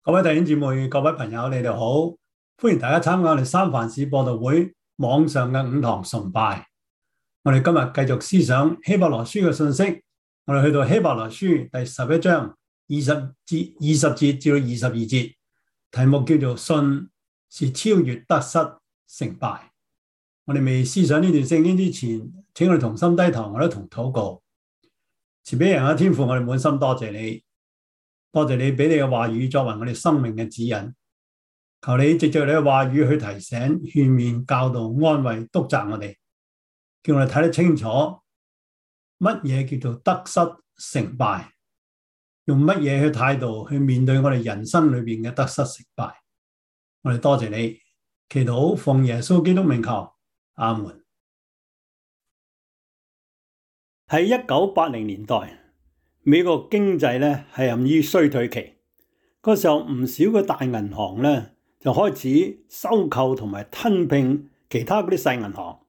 各位弟兄姊妹、各位朋友，你哋好！歡迎大家參加我哋三藩市播道會網上嘅五堂崇拜。我哋今日繼續思想希伯來書嘅信息，我哋去到希伯來書第11章20節至到22節，題目叫做信是超越得失成敗。我哋未思想呢段聖經之前，請我哋同心低頭，我哋同禱告。慈悲人嘅天父，我哋滿心多謝你。多謝你俾你嘅話語作為我哋生命嘅指引，求你藉着你嘅話語去提醒、勸勉、教導、安慰、督責我哋，叫我哋睇得清楚乜嘢叫做得失成敗，用乜嘢去態度去面對我哋人生裏邊嘅得失成敗。我哋多謝你，祈禱奉耶穌基督名求，阿門。喺1980年代，美國經濟咧係陷於衰退期，嗰時候唔少嘅大銀行咧就開始收購同埋吞併其他嗰啲細銀行。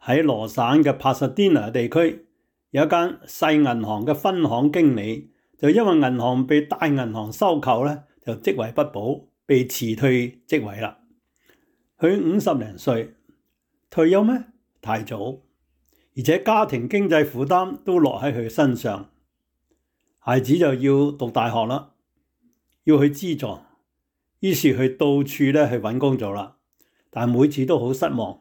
喺羅省嘅帕薩迪納地區，有一間細銀行嘅分行經理，就因為銀行被大銀行收購咧，就職位不保，被辭退職位啦。佢50零歲，退休咩？太早，而且家庭經濟負擔都落喺佢身上。孩子就要讀大學啦，要去資助，於是佢到處咧去揾工做啦，但每次都好失望。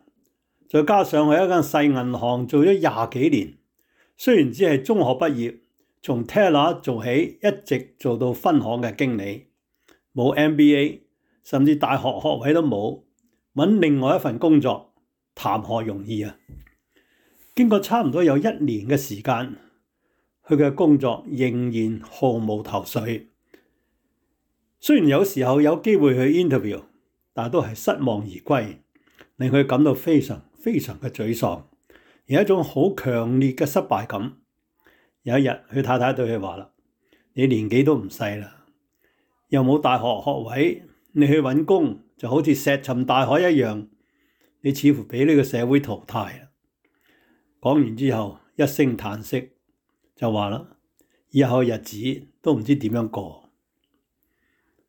再加上喺一間細銀行做咗20幾年，雖然只係中學畢業，從 teller 做起，一直做到分行嘅經理，冇 MBA， 甚至大學學位都冇，揾另外一份工作談何容易啊！經過差唔多有1年嘅時間，佢嘅工作仍然毫無頭緒。雖然有時候有機會去 interview， 但都係失望而歸，令佢感到非常嘅沮喪，有一種好強烈嘅失敗感。有一日，佢太太對佢話啦：你年紀都唔細啦，又冇大學學位，你去揾工就好似石沉大海一樣，你似乎俾呢個社會淘汰啦。講完之後，一聲嘆息，就話啦，以後日子都唔知點樣過。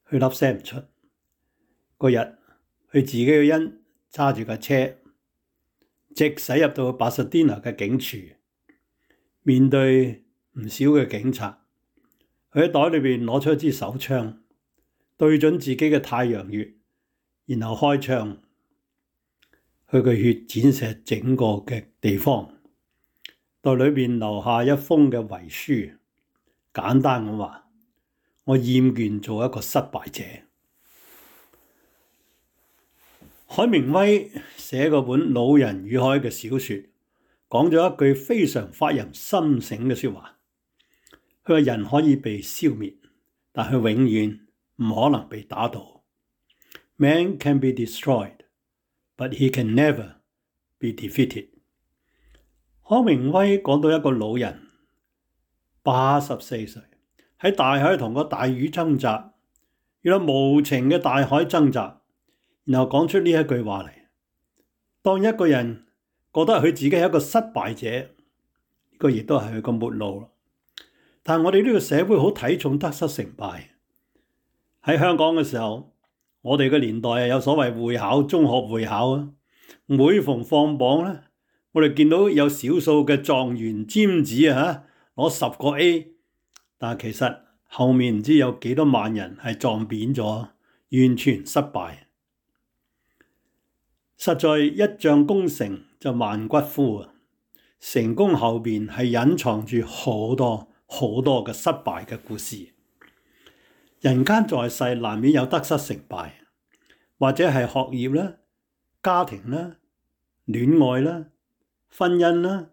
佢粒聲唔出。嗰日，佢自己個人揸住架車，直駛入到帕薩迪納嘅警署，面對唔少嘅警察。佢喺袋裏邊攞出一支手槍，對準自己嘅太陽穴，然後開槍。佢嘅血濺射整個嘅地方。袋裏邊留下一封嘅遺書，簡單咁話：我厭倦做一個失敗者。海明威寫嗰本《老人與海》嘅小說，講咗一句非常發人深省嘅說話。佢話人可以被消滅，但佢永遠唔可能被打倒。Man can be destroyed, but he can never be defeated。海明威講到一個老人84歲，喺大海同個大魚掙扎，遇到無情嘅大海掙扎，然後講出呢一句話嚟：當一個人覺得佢自己係一個失敗者，呢個亦都係佢個末路。但係我哋呢個社會好睇重得失成敗。喺香港嘅時候，我哋嘅年代有所謂會考、中學會考啊，每逢放榜咧，我哋見到有少數嘅狀元尖子啊，攞10個 A， 但係其實後面唔知有幾多萬人係撞扁咗，完全失敗。實在一將功成就萬骨枯啊！成功後邊係隱藏住好多嘅失敗嘅故事。人間在世難免有得失成敗，或者係學業啦、家庭啦、戀愛啦、婚姻啦、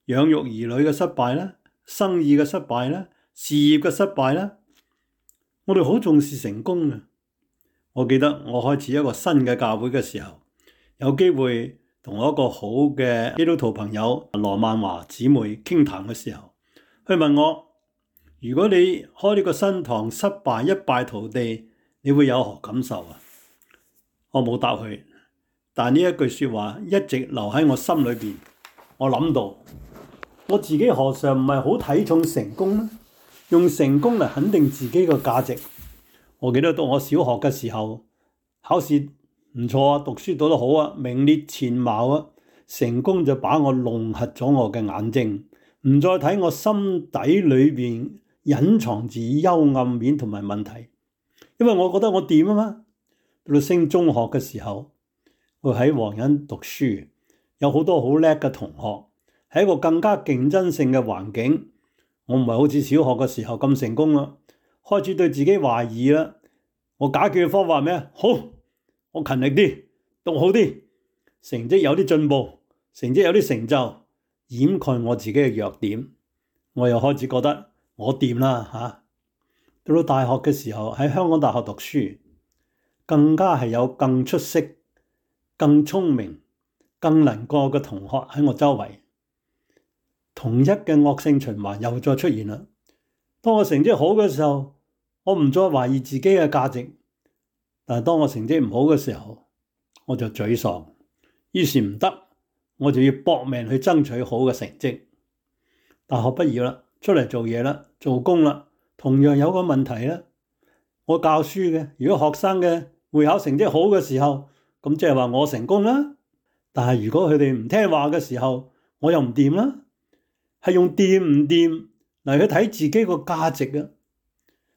養育兒女嘅失敗啦、生意嘅失敗啦、事業嘅失敗啦。我哋好重視成功嘅。我記得我開始一個新嘅教會嘅時候，有機會同我一個好嘅基督徒朋友羅曼華姊妹傾談嘅時候，佢問我：如果你開呢個新堂失敗一敗塗地，你會有何感受啊？我冇答佢，但呢一句說話一直留喺我心裏邊。我諗到我自己何嘗唔係好睇重成功呢？用成功嚟肯定自己嘅價值。我記得讀我小學嘅時候，考試唔錯啊，讀書讀得好啊，名列前茅啊，成功就把我弄瞎咗我嘅眼睛，唔再睇我心底裏邊隱藏住幽暗面同埋問題，因為我覺得我掂啊嘛。到升中學嘅時候，我喺黃仁讀書，有好多好叻嘅同學，係一個更加競爭性嘅環境。我唔係好似小學嘅時候咁成功啦，開始對自己懷疑啦。我解決嘅方法係咩？好，我勤力啲，讀好啲，成績有啲進步，成績有啲成就，掩蓋我自己嘅弱點。我又開始覺得我掂啦嚇。到大學嘅時候，喺香港大學讀書，更加係有更出色、更聰明、更能過嘅同學喺我周圍。同一嘅惡性循環又再出現啦。當我成績好嘅時候，我唔再懷疑自己嘅價值，但係當我成績唔好嘅時候，我就沮喪。於是唔得，我就要搏命去爭取好嘅成績。大學畢業啦，出嚟做嘢啦，做工啦，同樣有個問題啦。我教書嘅，如果學生嘅會考成績好嘅時候，咁即係話我成功啦。但係如果佢哋唔聽話嘅時候，我又唔掂啦。係用掂唔掂嚟去睇自己個價值嘅。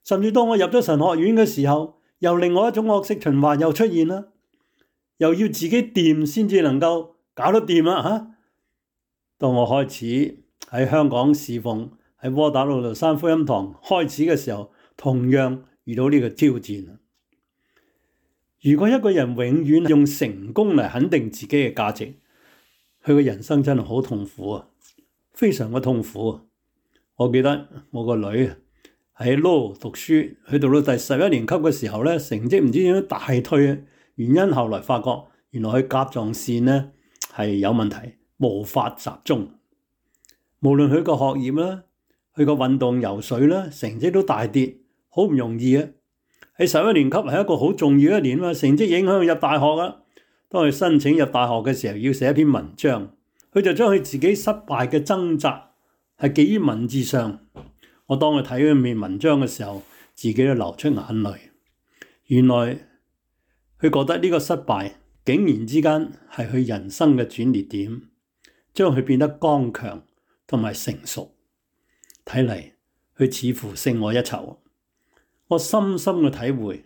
甚至當我入咗神學院嘅時候，又另外一種惡性循環又出現啦，又要自己掂先至能夠搞得掂啦嚇。當我開始喺香港侍奉，喺窩打老道山福音堂開始嘅時候，同樣遇到呢個挑戰。如果一個人永遠用成功嚟肯定自己嘅價值，佢嘅人生真係好痛苦啊！非常嘅痛苦。我記得我個女喺 Law 讀書，去到第11年級嘅時候咧，成績唔知點樣大退，原因後來發覺原來佢甲狀腺咧係有問題，無法集中。無論佢個學業啦，佢個運動游水啦，成績都大跌，好唔容易啊！喺11年級係一個好重要一年嘛，成績影響佢入大學啊。當佢申請入大學嘅時候，要寫一篇文章。佢就將佢自己失敗嘅掙扎係記於文字上。我當佢睇嗰篇文章嘅時候，自己都流出眼淚。原來佢覺得呢個失敗竟然之間係佢人生嘅轉捩點，將佢變得剛強同埋成熟。睇嚟佢似乎勝我一籌。我深深嘅體會，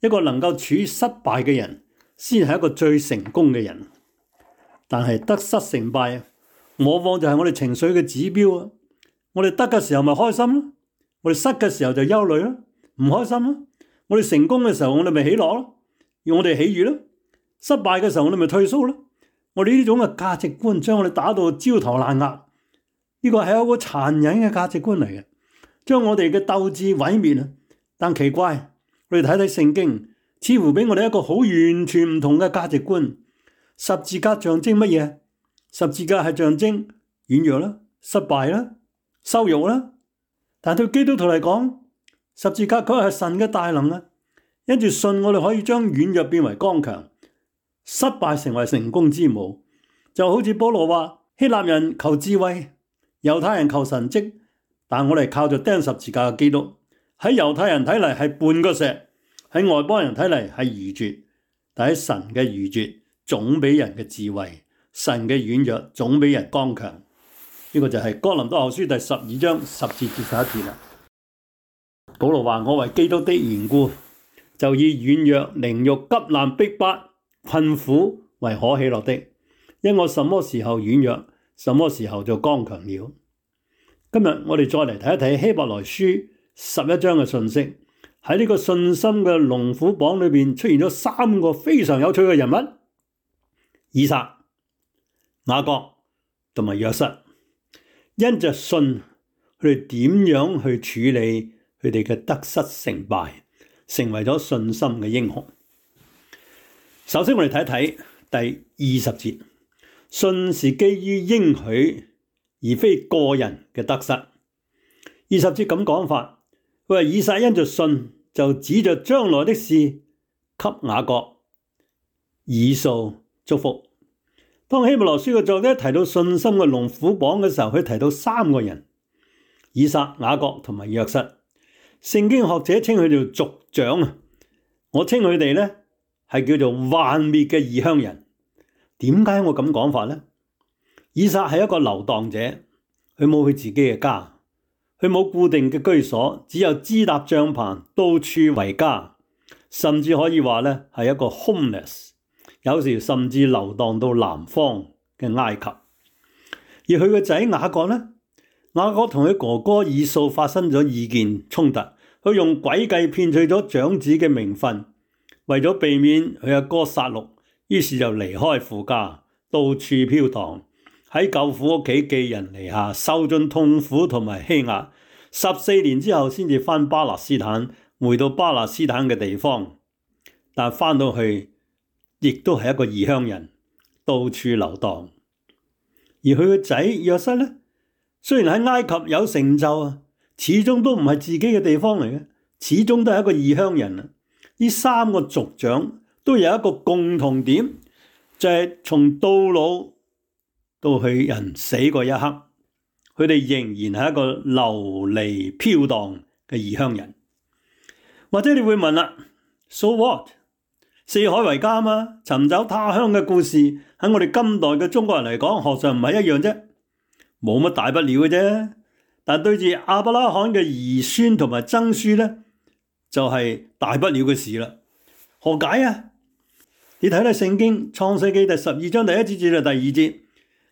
一個能夠處於失敗嘅人，先係一個最成功嘅人。但係得失成敗，往往就係我哋情緒嘅指標啊！我哋得嘅時候咪開心咯，我哋失嘅時候就憂慮咯，唔開心咯。我哋成功嘅時候，我哋咪喜樂咯，要我哋喜悅咯。失敗嘅時候，我哋咪退縮咯。我哋呢種嘅價值觀將我哋打到焦頭爛額，呢個係一個殘忍嘅價值觀嚟嘅，將我哋嘅鬥志毀滅啊！但奇怪，我哋睇睇聖經，似乎俾我哋一個好完全唔同嘅價值觀。十字架象徵乜嘢？十字架係象徵軟弱啦、失敗啦、羞辱啦。但對基督徒嚟講，十字架佢係神嘅大能啊！因住信，我哋可以將軟弱變為剛強，失敗成為成功之母。就好似保羅話：希臘人求智慧，猶太人求神蹟，但我哋靠著釘十字架嘅基督。喺猶太人睇嚟係絆腳石，喺外邦人睇嚟係愚拙，但喺神嘅愚拙總比人嘅智慧，神嘅軟弱總比人剛強。呢個就係哥林多後書第12章10節至11節啦。保羅話：我為基督的緣故，就以軟弱、凌辱、急難、逼迫、困苦為可喜樂的，因我什麼時候軟弱，什麼時候就剛強了。今日我哋再嚟睇一睇希伯來書11章嘅信息。喺呢個信心嘅龍虎榜裏面出現咗3個非常有趣嘅人物：以撒、雅各同埋約瑟。因着信，佢哋點樣去處理佢哋嘅得失成敗，成為咗信心嘅英雄。首先我哋睇睇第20節，信是基於應許，而非個人嘅得失。20節咁講法，佢話以撒因着信，就指着將來的事給雅各、以掃祝福。當希伯來書嘅作者提到信心嘅龍虎榜嘅時候，佢提到3個人：以撒、雅各同埋約瑟。聖經學者稱佢做族長啊，我稱佢哋呢係叫做幻滅嘅異鄉人。點解我咁講法呢？以撒係一個流蕩者，佢冇佢自己嘅家，佢冇固定嘅居所，只有支搭帳篷，到處為家，甚至可以話呢係一個 homeless， 有時甚至流蕩到南方嘅埃及。而佢個仔雅各呢？雅各同佢哥哥以掃發生咗意見衝突，佢用詭計騙取咗長子嘅名分，為咗避免佢阿哥殺戮，於是就離開父家，到處飄蕩，喺舅父屋企寄人籬下，受盡痛苦同埋欺壓。14年之後先至返巴勒斯坦，回到巴勒斯坦嘅地方，但返到去亦都係一個異鄉人，到處流蕩。而佢個仔約瑟呢，雖然喺埃及有成就啊，始終都唔係自己嘅地方嚟嘅，始終都係一個異鄉人啊。呢3個族長都有一個共同點，就係從到老到去人死嗰一刻，佢哋仍然係一個流離飄蕩嘅異鄉人。或者你會問啦，So what？ 四海為家嘛，尋找他鄉嘅故事喺我哋今代嘅中國人嚟講，何嘗唔係一樣啫？冇乜大不了嘅啫。但對住亞伯拉罕嘅兒孫同埋曾孫呢，就係大不了嘅事啦。何解啊？你睇睇聖經創世記第12章第1節至到第2節，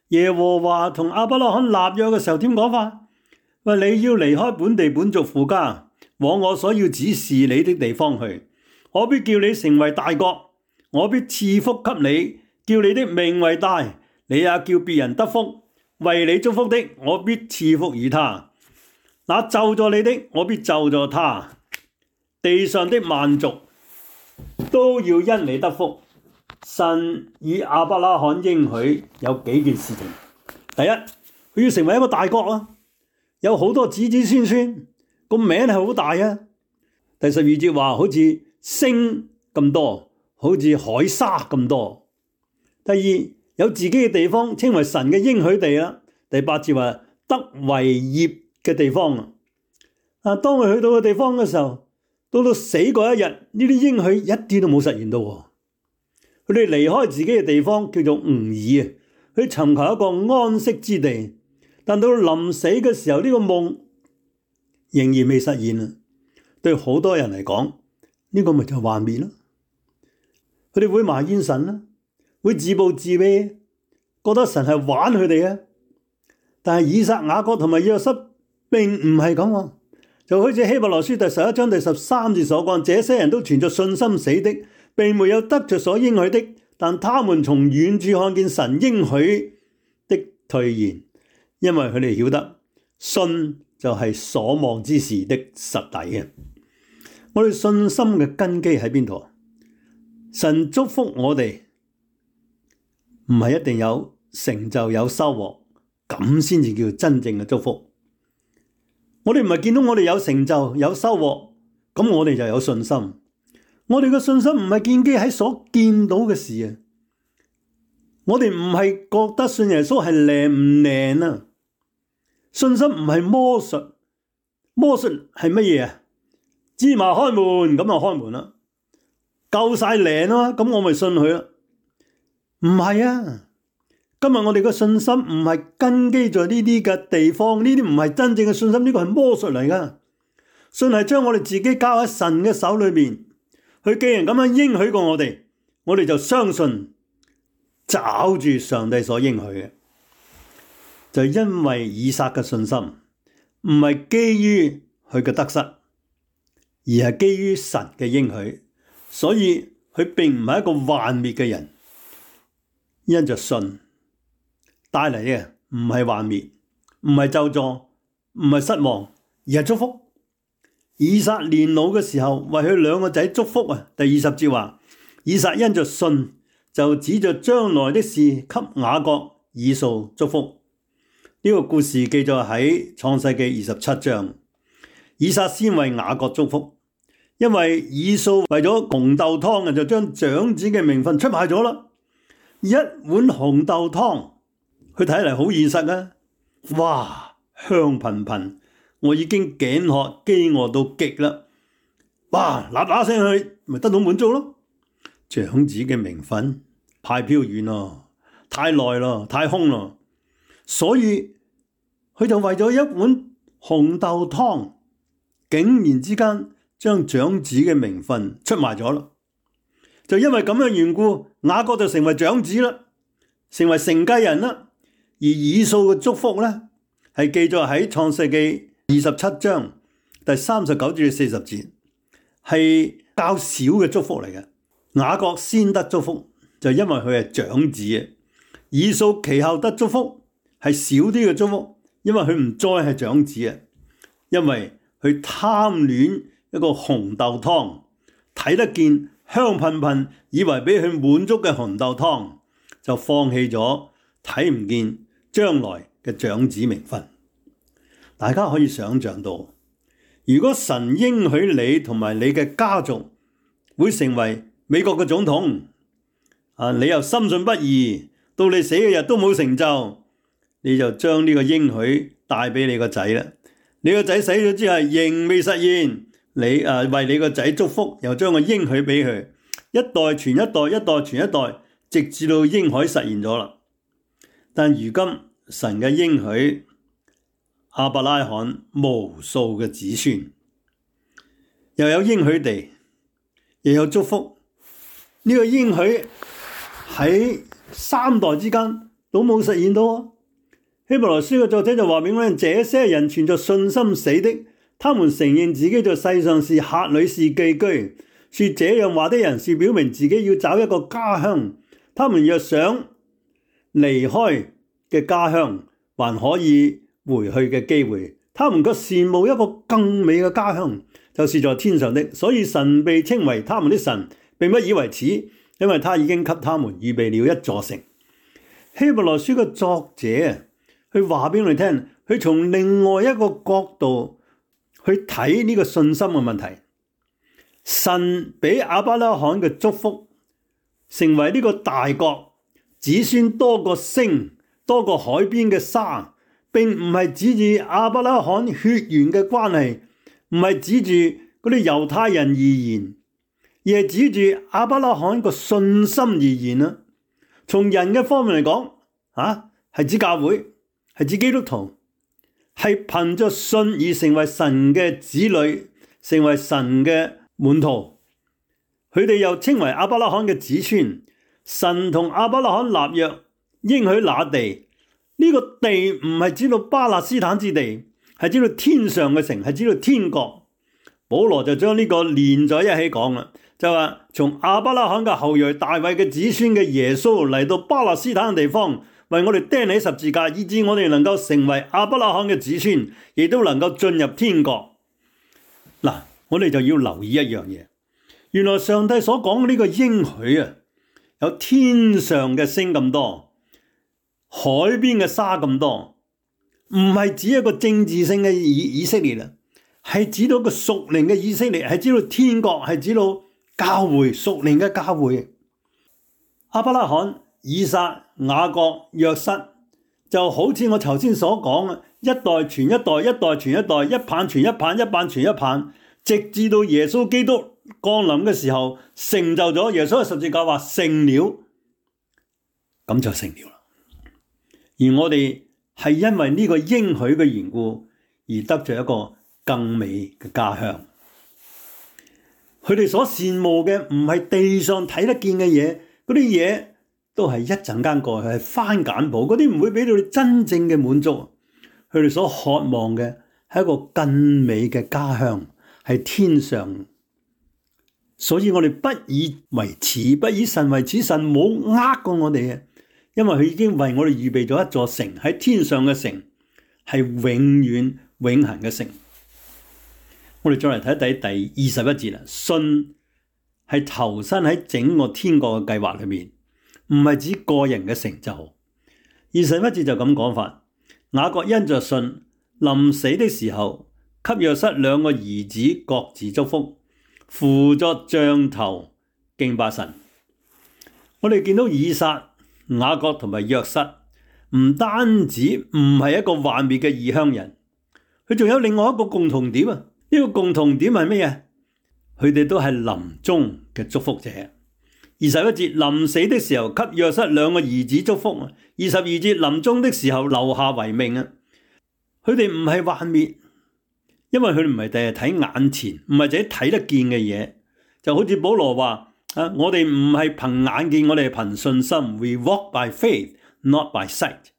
耶和華同亞伯拉罕立約嘅時候點講法？話你要離開本地本族父家，往我所要指示你的地方去。我必叫你成為大國，我必賜福給你，叫你的名為大，你也叫別人得福。為你祝福的，我必賜福與他；那咒詛你的，我必咒詛他。地上的萬族都要因你得福。神與亞伯拉罕應許有幾件事情。第一，佢要成為一個大國啊，有好多子子孫孫，個名係好大啊。第12節話好似星咁多，好似海沙咁多。第二，有自己嘅地方，稱為神嘅應許地啦。第8節話得為業嘅地方啊。當佢去到個地方嘅時候，到死嗰一日，呢啲應許一啲都冇實現到。佢哋離開自己嘅地方叫做吾爾啊，去尋求一個安息之地。但到臨死嘅時候，呢個夢仍然未實現啊。對好多人嚟講，呢個咪就係幻滅咯。佢哋會埋怨神啦，會自暴自棄，覺得神係玩佢哋啊。但係以撒、雅各同埋約瑟並唔係咁喎，就好似希伯來書第11章第13節所講，這些人都存着信心死的，並沒有得着所應許的，但他們從遠處看見神應許的兌現，因為佢哋曉得信就係所望之事的實底啊。我哋信心嘅根基喺邊度？神祝福我哋唔係一定有成就有收穫，咁先至叫真正嘅祝福。我哋唔係見到我哋有成就有收穫，咁我哋就有信心。我哋嘅信心唔係建基喺所見到嘅事啊。我哋唔係覺得信耶穌係靈唔靈啊。信心唔係魔術，魔術係乜嘢啊？芝麻開門咁就開門啦，夠晒靈啊，咁我咪信佢啦。唔係啊，今日我哋嘅信心唔係根基在呢啲嘅地方，呢啲唔係真正嘅信心，呢個係魔術嚟噶。信係將我哋自己交喺神嘅手裏面，佢既然咁樣應許過我哋就相信，抓住上帝所應許嘅。就因為以撒嘅信心唔係基於佢嘅得失，而係基於神嘅應許，所以佢並唔係一個幻滅嘅人。因着信帶嚟嘅唔係幻滅，唔係咒詛，唔係失望，而係祝福。以撒年老嘅時候為佢兩個仔祝福啊。第20節話，以撒因着信就指着將來的事給雅各、以掃祝福。呢個故事記載喺創世記27章。以撒先為雅各祝福，因為以掃為咗紅豆湯就將長子嘅名分出賣咗啦。一碗紅豆湯，佢睇嚟好現實啊！哇，香噴噴，我已經頸渴飢餓到極啦。哇！嗱聲去，咪得到滿足咯。長子嘅名分太飄遠咯，太耐咯，太空咯，所以佢就為咗一碗紅豆湯，竟然之間將長子嘅名分出賣咗啦。就因為咁嘅緣故，雅各就成為長子啦，成為承繼人啦。而以掃嘅祝福咧，係記載喺創世記27章第39至40節，係較少嘅祝福嚟嘅。雅各先得祝福，就因為佢係長子嘅；以掃其後得祝福，係少啲嘅祝福，因為佢唔再係長子嘅，因為佢貪戀一個紅豆湯，睇得見香噴噴，以為俾佢滿足嘅紅豆湯，就放棄咗睇唔見將來嘅長子名分。大家可以想象到，如果神應許你同埋你嘅家族會成為美國嘅總統，你又深信不疑，到你死嘅日都冇成就，你就將呢個應許帶俾你個仔啦。你個仔死咗之後仍未實現，你為你個仔祝福，又將個應許俾佢，一代傳一代，一代傳一代，直至到應許實現咗啦。但如今神嘅應許，亞伯拉罕無數嘅子孫，又有應許地，又有祝福，呢個應許喺3代之間都冇實現到。希伯來書嘅作者就話俾我哋，這些人存着信心死的，他們承認自己在世上是客旅是寄居。說這樣話的人是表明自己要找一個家鄉，他們若想離開嘅家鄉還可以回去嘅機會，他們卻羨慕一個更美嘅家鄉，就是在天上的。所以神被稱為他們的神，並不以為恥，因為他已經給他們預備了一座城。希伯來書嘅作者佢話俾我哋聽，佢從另外一個角度去睇呢個信心嘅問題。神俾亞伯拉罕嘅祝福，成為呢個大國，子孫多過星，多過海邊嘅沙，並唔係指住亞伯拉罕血緣嘅關係，唔係指住嗰啲猶太人而言，而係指住亞伯拉罕個信心而言啦。從人嘅方面嚟講，係指教會，係指基督徒，係憑着信而成為神嘅子女，成為神嘅門徒。佢哋又稱為亞伯拉罕嘅子孫。神同亞伯拉罕立約，應許那地，呢個地唔係指到巴勒斯坦之地，係指到天上嘅城，係指到天國。保羅就將呢個連在一起講啦，就話從亞伯拉罕嘅後裔大衛嘅子孫嘅耶穌嚟到巴勒斯坦嘅地方，為我哋釘起十字架，以致我哋能夠成為亞伯拉罕嘅子孫，亦都能夠進入天國。嗱，我哋就要留意一樣嘢，原來上帝所講嘅呢個應許啊，有天上嘅星咁多，海邊嘅沙咁多，唔係指一個政治性嘅以色列啦，係指到個屬靈嘅以色列，係指到天國，係指到教會，屬靈嘅教會。亞伯拉罕、以撒、雅各、約瑟，就好似我頭先所講啊，一代傳一代，一代傳一代，一棒傳一棒，一棒傳一棒，直至到耶穌基督降臨嘅時候，成就咗。耶穌嘅十字架話成了，咁就成了啦。而我哋係因為呢個應許嘅緣故，而得着一個更美嘅家鄉。佢哋所羨慕嘅唔係地上睇得見嘅嘢，嗰啲嘢都係一陣間過去，係番梘布，嗰啲唔會俾到你真正嘅滿足。佢哋所渴望嘅係一個更美嘅家鄉，係天上。所以我哋不以為恥，不以神為恥，神冇呃過我哋嘅，因為佢已經為我哋預備咗一座城，喺天上嘅城，係永遠永恆嘅城。我哋再嚟睇第21節啦，信係投身喺整個天國嘅計劃裏面，唔係指個人嘅成就。21節就咁講法，雅各因着信，臨死的時候，給約瑟2個兒子各自祝福，扶作杖頭敬拜神。我哋見到以撒、雅各同埋約瑟，唔單止唔係一個幻滅嘅異鄉人，佢仲有另外一個共同點啊！呢個共同點係咩嘢？佢哋都係臨終嘅祝福者。21節，臨死的時候給約瑟兩個兒子祝福。22節，臨終的時候留下遺命啊！佢哋唔係幻滅，因為佢哋唔係第日睇眼前，唔係自己睇得見嘅嘢。就好似保羅話啊，我哋唔係憑眼見，我哋係憑信心。We walk by faith, not by sight。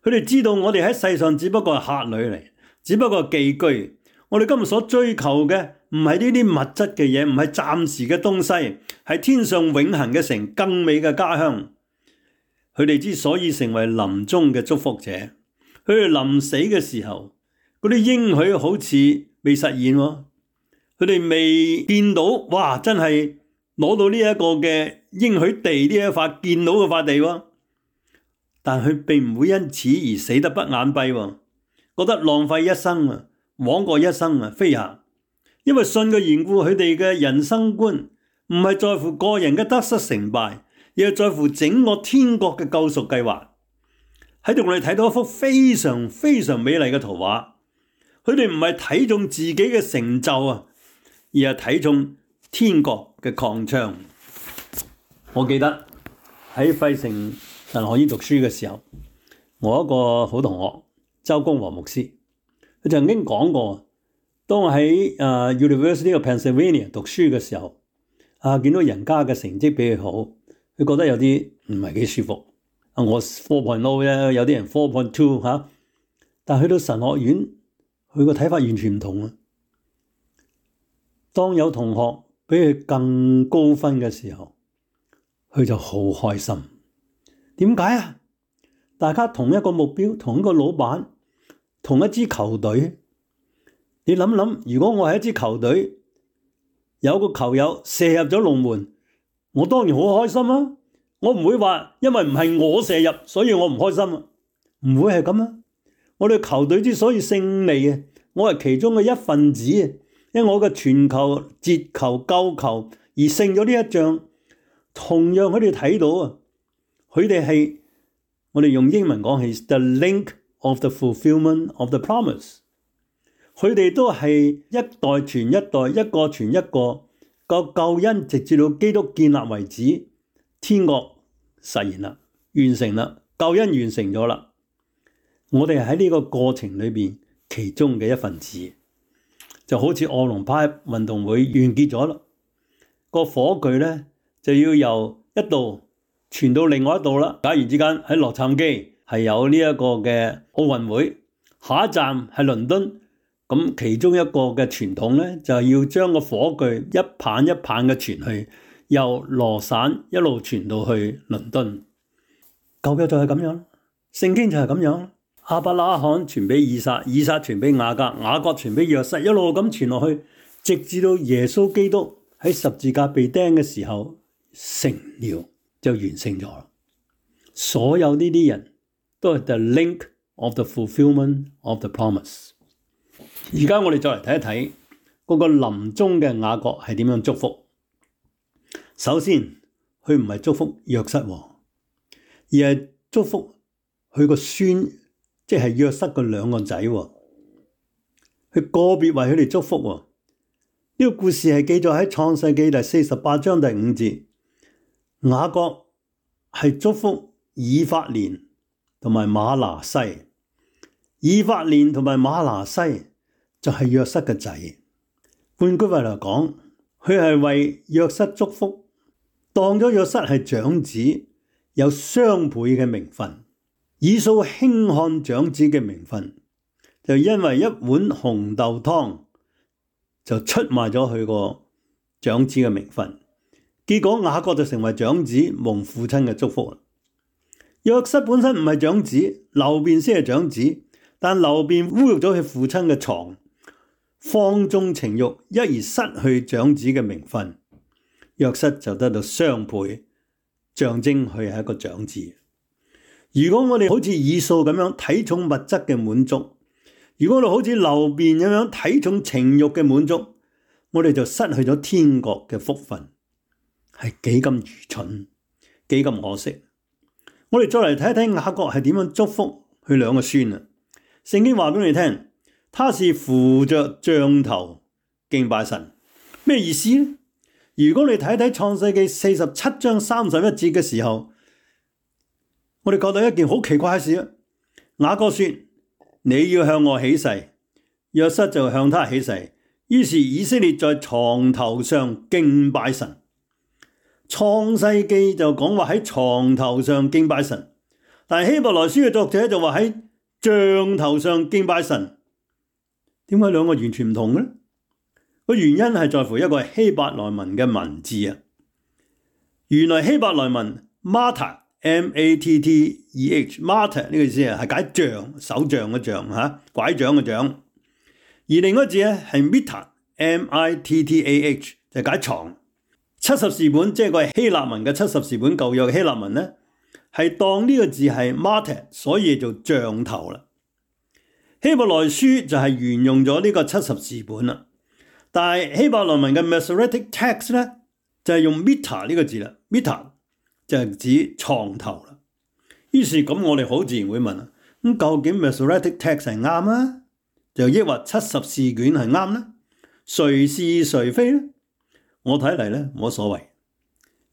佢哋知道我哋喺世上只不過係客旅嚟，只不過係寄居。我哋今日所追求嘅唔係呢啲物質嘅嘢，唔係暫時嘅東西，係天上永恆嘅城，更美嘅家鄉。佢哋之所以成為臨終嘅祝福者，佢哋臨死嘅時候，嗰啲應許好似未實現喎，佢哋未見到，哇！真係攞到呢一個嘅應許地，呢一塊見到嘅塊地喎。但佢並唔會因此而死得不眼閉喎，覺得浪費一生啊，枉過一生啊，飛下。因為信嘅緣故，佢哋嘅人生觀唔係在乎個人嘅得失成敗，而係在乎整個天國嘅救贖計劃。喺度我哋睇到一幅非常非常美麗嘅圖畫。佢哋唔係睇重自己嘅成就啊，而係睇重天國嘅擴張。我記得喺費城神學院讀書嘅時候，我一個好同學周公和牧師，佢曾經講過，當我喺University of Pennsylvania 讀書嘅時候，見到人家嘅成績比佢好，佢覺得有啲唔係幾舒服。我 4.0 啫，有啲人 4.2 嚇，但去到神學院，佢個睇法完全唔同啊！當有同學比佢更高分嘅時候，佢就好開心。點解啊？大家同一個目標，同一個老闆，同一支球隊。你諗諗，如果我係一支球隊，有個球友射入咗龍門，我當然好開心啊！我唔會話因為唔係我射入，所以我唔開心啊！唔會係咁啊！我哋球隊之所以勝利啊，我係其中嘅一份子啊！因為我嘅傳球、截球、救球而勝咗呢一仗。同樣佢哋睇到啊，佢哋係我哋用英文講係 the link of the fulfillment of the promise。佢哋都係一代傳一代，一個傳一個，個救恩直至到基督建立為止，天國實現啦，完成啦，救恩完成咗啦。我哋喺呢個過程裏邊其中嘅一份子，就好似奧林匹克運動會完結咗啦，個火炬咧就要由一度傳到另外一度啦。假如之間喺洛杉磯係有呢一個嘅奧運會，下一站係倫敦，咁其中一個嘅傳統咧就係要將個火炬一棒一棒嘅傳去，由羅省一路傳到去倫敦。舊約就係咁樣，聖經就係咁樣。亞伯拉罕傳俾以撒，以撒傳俾雅各，雅各傳俾約瑟，一路咁傳落去，直至到耶穌基督喺十字架被釘嘅時候成了，就完成咗。所有呢啲人都係 the link of the fulfillment of the promise。而家我哋再嚟睇一睇嗰個臨終嘅雅各係點樣祝福。首先，佢唔係祝福約瑟，而係祝福佢個孫，即係約瑟嘅兩個仔。佢個別為佢哋祝福。呢個故事係記載喺創世記第48章第5節。雅各係祝福以法蓮同埋瑪拿西。以法蓮同埋瑪拿西就係約瑟嘅仔。換句話嚟講，佢係為約瑟祝福，當咗約瑟係長子，有雙倍嘅名分。以掃輕看長子嘅名分，就因為一碗紅豆湯就出賣咗佢個長子嘅名分。結果雅各就成為長子，蒙父親嘅祝福。約瑟本身唔係長子，流便先係長子，但流便侮辱咗佢父親嘅床，放縱情慾，一而失去長子嘅名分。約瑟就得到雙倍，象徵佢係一個長子。如果我哋好似以掃咁樣睇重物質嘅滿足，如果我哋好似流便咁樣睇重情慾嘅滿足，我哋就失去咗天國嘅福分，係幾咁愚蠢，幾咁可惜。我哋再嚟睇一睇雅各係點樣祝福佢兩個孫啊。聖經話俾你聽，他是扶着杖頭敬拜神。咩意思呢？如果你睇睇創世記47章31節嘅時候，我哋覺得一件好奇怪嘅事啊。雅各說：你要向我起誓，約瑟就向他起誓。於是以色列在床頭上敬拜神。創世記就講話喺床頭上敬拜神，但係希伯來書嘅作者就話喺杖頭上敬拜神。點解兩個完全唔同嘅呢？個原因係在乎一個希伯來文嘅文字啊。原來希伯來文 Matteh M-A-T-T-E-H Matteh 呢個意思係解杖，手杖嘅杖吓，拐杖嘅杖。而另一個字咧係 Mittah M-I-T-T-A-H 就解床。70士本即係個希臘文嘅70士本舊約嘅希臘文咧，係當呢個字係 Matteh，所以做杖頭啦。希伯來書就係沿用咗呢個70士本啦。但係希伯來文嘅 Masoretic Text 咧就係用 Mittah 呢個字啦。Mittah 就係指床頭啦。於是咁我哋好自然會問啊，咁究竟 Masoretic Text 係啱啊，就抑或70士卷係啱呢？誰是誰非呢？我睇嚟咧冇所謂，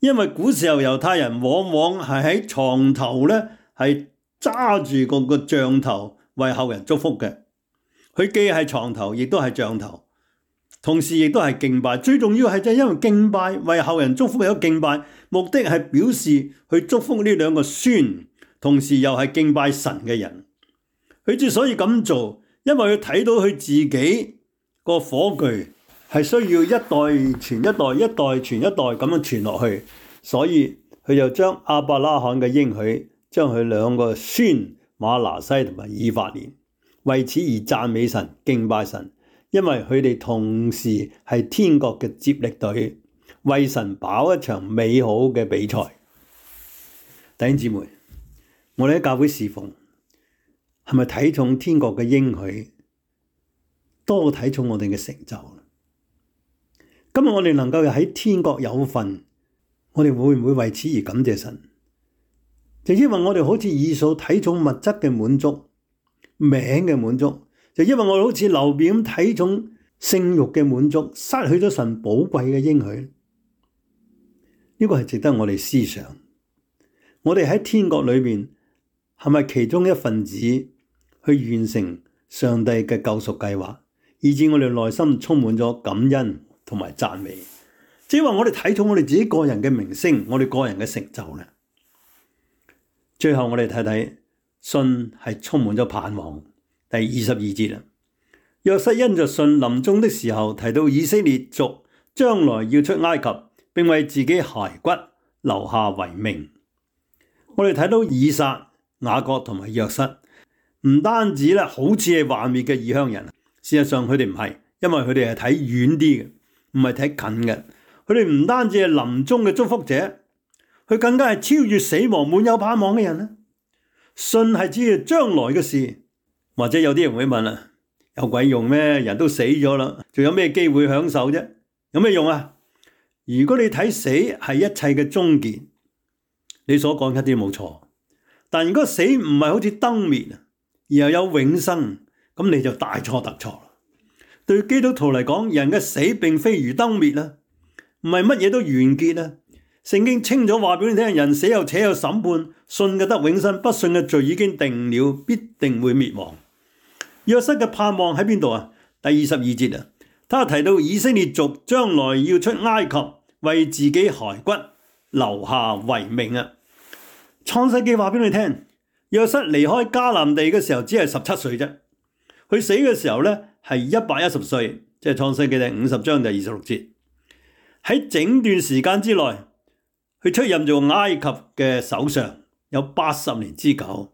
因為古時候猶太人往往係喺床頭咧係揸住個杖頭為後人祝福嘅。佢既係床頭，亦都係杖頭，同時亦都係敬拜。最重要係就係因為敬拜，為後人祝福有敬拜，目的係表示去祝福呢兩個孫，同時又係敬拜神嘅人。佢之所以咁做，因為佢睇到佢自己個火炬係需要一代傳一代，一代傳一代咁樣傳落去，所以佢就將亞伯拉罕嘅應許，將佢兩個孫瑪拿西同埋以法蓮，為此而讚美神、敬拜神，因為佢哋同時係天國嘅接力隊，為神跑一場美好嘅比賽。弟兄姊妹，我哋喺教會侍奉，係咪睇重天國嘅應許，多過睇重我哋嘅成就？今日我哋能夠喺天國有份，我哋會唔會為此而感謝神？就因為我哋好似以掃睇重物質嘅滿足、名嘅滿足，就因為我哋好似流便咁睇重性慾嘅滿足，失去咗神寶貴嘅應許。呢個係值得我哋思想。我哋喺天國裏面係咪其中一份子去完成上帝嘅救贖計劃，以致我哋內心充滿咗感恩同埋讚美？即係話我哋睇重我哋自己個人嘅名聲，我哋個人嘅成就呢。最後我哋睇睇信係充滿咗盼望。第22節啦，約瑟因着信臨終的時候提到以色列族將來要出埃及，並為自己骸骨留下遺命。我哋睇到以撒、雅各同埋約瑟，唔單止咧好似係幻滅嘅異鄉人，事實上佢哋唔係，因為佢哋係睇遠啲嘅，唔係睇近嘅。佢哋唔單止係臨終嘅祝福者，佢更加係超越死亡、滿有盼望嘅人咧。信係指將來嘅事，或者有啲人會問啦：有鬼用咩？人都死咗啦，仲有咩機會享受啫？有咩用啊？如果你睇死係一切嘅終結，你所講一啲冇錯。但如果死唔係好似燈滅，而又有永生，咁你就大錯特錯啦。對基督徒嚟講，人嘅死並非如燈滅啦，唔係乜嘢都完結啦。聖經清楚話俾你聽，人死後且有審判，信嘅得永生，不信嘅罪已經定了，必定會滅亡。約瑟嘅盼望喺邊度啊？第22節啊，他提到以色列族將來要出埃及，為自己骸骨留下遺命啊。創世記話俾你聽，約瑟離開迦南地嘅時候只係17歲啫，佢死嘅時候咧係110歲，即係創世記第50章第26節。喺整段時間之內，佢出任做埃及嘅首相，有80年之久。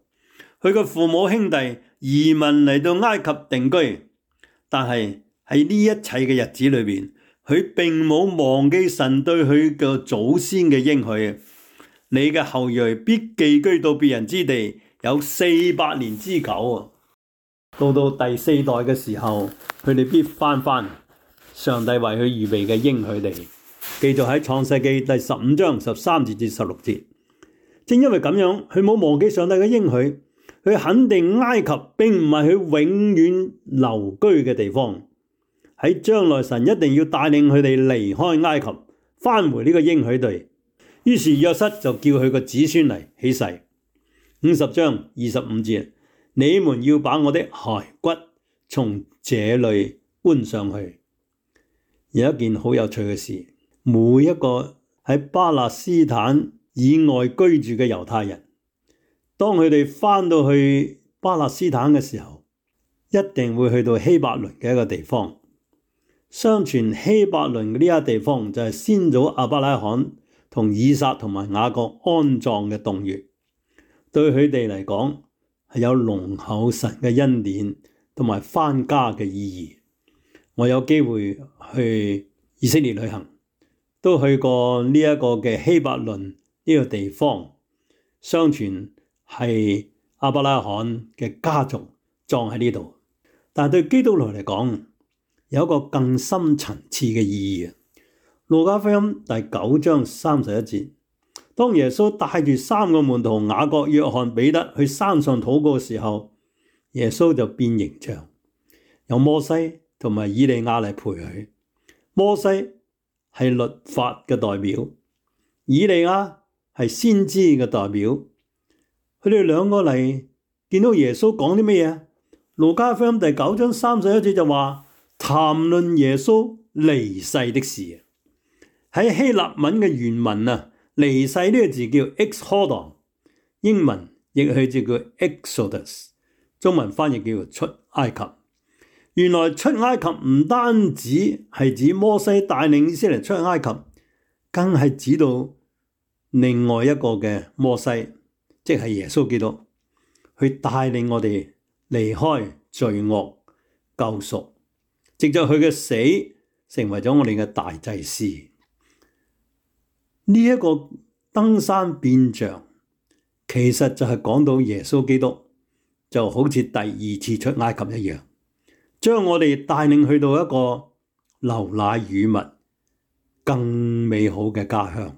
佢嘅父母兄弟移民嚟到埃及定居，但係喺呢一切嘅日子裏邊，佢並冇忘記神對佢嘅祖先嘅應許。你嘅後裔必寄居到別人之地，有400年之久啊！到第4代嘅時候，佢哋必翻上帝為佢預備嘅應許地，記載喺創世記第15章13節至16節。正因為咁樣，佢冇忘記上帝嘅應許，佢肯定埃及並唔係佢永遠留居嘅地方，喺將來神一定要帶領佢哋離開埃及，返回呢個應許地。於是約瑟就叫佢個子孫嚟起誓，50章25節，你們要把我的骸骨從這裏搬上去。有一件好有趣嘅事，每一個喺巴勒斯坦以外居住嘅猶太人，當佢哋返到去巴勒斯坦嘅時候，一定會去到希伯倫嘅一個地方。相傳希伯倫呢一個地方就係先祖亞伯拉罕同以撒同埋雅各安葬嘅洞穴，對佢哋嚟講係有濃厚神嘅恩典同埋返家嘅意義。我有機會去以色列旅行，都去過呢一個嘅希伯倫呢個地方，相傳係亞伯拉罕嘅家族葬喺呢度。但係對基督徒嚟講，有一個更深層次嘅意義。路加福音第9章31節，當耶穌帶住3個門徒雅各、約翰、彼得去山上禱告嘅時候，耶穌就變形象，有摩西同埋以利亞嚟陪佢。摩西係律法嘅代表，以利亞係先知嘅代表。佢哋兩個嚟見到耶穌講啲咩嘢？路加福音第9章31節就話談論耶穌離世的事。喺希臘文嘅原文啊，離世呢個字叫 exodon， 英文譯去就叫 Exodus， 中文翻譯叫出埃及。原來出埃及唔單止係指摩西帶領以色列出埃及，更係指到另外一個嘅摩西，即係耶穌基督，去帶領我哋離開罪惡救贖，藉着佢嘅死成為咗我哋嘅大祭司。呢一個登山變像，其實就係講到耶穌基督就好似第2次出埃及一樣，將我哋帶領去到一個流奶與蜜更美好嘅家鄉。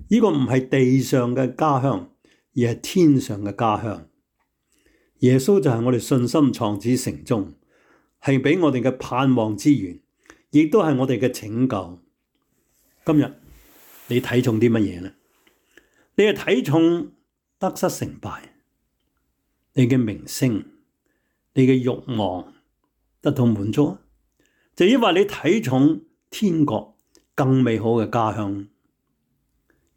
呢個唔係地上嘅家鄉，而係天上嘅家鄉。耶穌就係我哋信心創始成終，係俾我哋嘅盼望之源，亦都係我哋嘅拯救。今日你睇重啲乜嘢呢？你係睇重得失成敗，你嘅名聲，你嘅慾望得到滿足，就因為你睇重天國更美好嘅家鄉。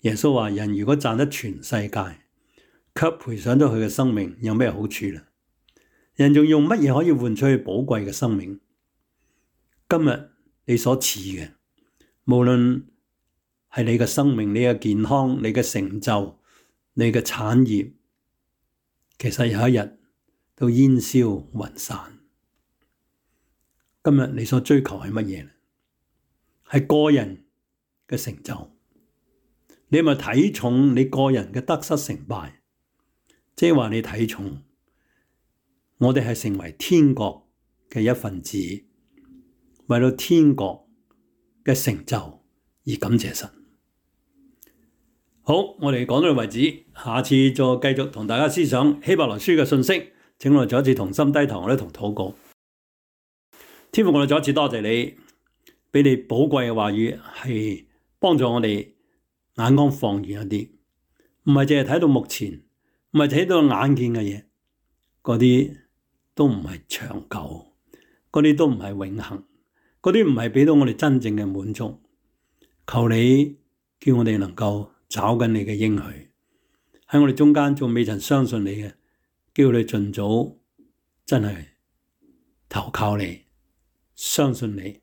耶穌話：人如果賺得全世界，卻賠上咗佢嘅生命，有咩好處呢？人仲用乜嘢可以換取佢寶貴嘅生命？今日你所持嘅，無論係你嘅生命、你嘅健康、你嘅成就、你嘅產業，其實有一日都煙消雲散。今日你所追求係乜嘢？係個人嘅成就。你係咪睇重你個人嘅得失成敗？即係話你睇重我哋係成為天國嘅一份子，為到天國嘅成就而感謝神。好，我哋講到呢度為止，下次再繼續同大家思想希伯來書嘅信息。請我哋再一次同心低頭，我哋同禱告。天父，我哋再一次多謝你，俾你寶貴嘅話語係幫助我哋眼光放遠一啲，唔係淨係睇到目前，唔係睇到眼見嘅嘢，嗰啲都唔係長久，嗰啲都唔係永恆，嗰啲唔係俾到我哋真正嘅滿足。求你叫我哋能夠找緊你嘅應許，喺我哋中間仲未曾相信你嘅，叫你盡早真係投靠你，相信你，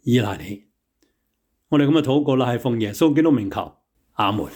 依賴你。我哋咁嘅禱告啦，係奉耶穌基督名求，阿門。